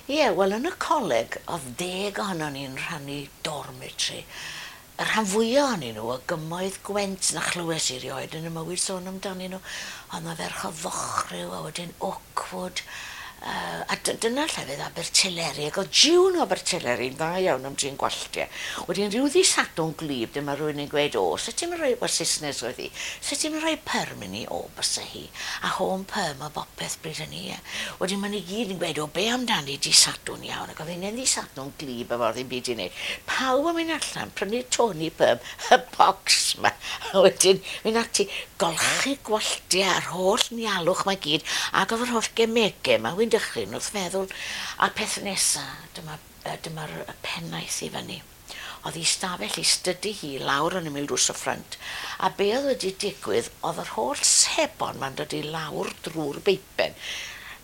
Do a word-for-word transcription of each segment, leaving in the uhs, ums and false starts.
Ie, wel yn y coleg o'dd deg ohonon ni'n rhannu dormitory. Y rhan fwya ohonyn nhw o gymoedd Gwent na chlywes i rioed yn 'y mywyd sôn amdanyn nhw. O'dd 'na ferch o Fochriw a wedyn Oakwood yy a dy- dyna llefydd Abertyleri ag o'dd June o Abertyleri'n dda iawn am drin gwalltie. Wedyn rhyw ddy' Sadwrn gwlyb dyma rywun yn gweud o sut ti'm yn rhoi, wel Saesnes oedd hi, sut ti'm yn rhoi perm i ni? O bysa hi. A home perm a bopeth bryd hynny ie. Wedyn ma' nhw gyd yn gweud o be amdani dy' Sadwrn iawn ac o'dd hi'n ddy' Sadwrn gwlyb efo ddim byd i wneud. Pawb yn mynd allan prynu Tony Perm y bocs 'ma a wedyn mynd ati golchi gwalltie a'r holl nialwch 'ma gyd ag o'dd yr holl gemege 'ma wi'n dychryn wrth feddwl a'r peth nesa dyma yy dyma'r y pennaeth i fyny. O'dd 'i stafell 'i stydi hi lawr yn ymyl drws y ffrynt a be' o'dd wedi digwydd o'dd yr holl sebon 'ma'n dod i lawr drw'r beipen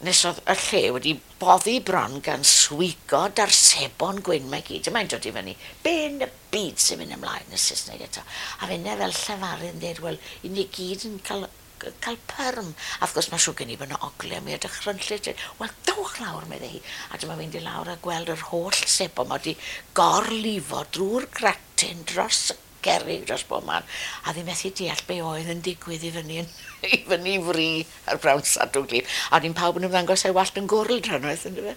nes o'dd y lle wedi boddi bron gan swigod a'r sebon gwyn 'ma i gyd. Dyma hi'n dod i fyny. Be' yn y byd sy'n mynd ymlaen yn Saesneg eto? A finne fel llefarydd yn deud wel 'yn ni gyd yn cael cael perm. A wrth gwrs mae'n siŵr gen i bod 'na ogle mwya dychrynllyd. Wel dowch lawr medde hi. A dyma fi'n dod lawr a gweld yr holl sebon 'ma wedi gorlifo drwy'r gratin dros y cerrig dros bob man. A ddim methu deall be oedd yn digwydd i fyny yn, i fyny i fri ar brawn Sadwrn gwlyb. A wedyn pawb yn ymddangos â'i wallt yn gwrl drannoeth yndyfe?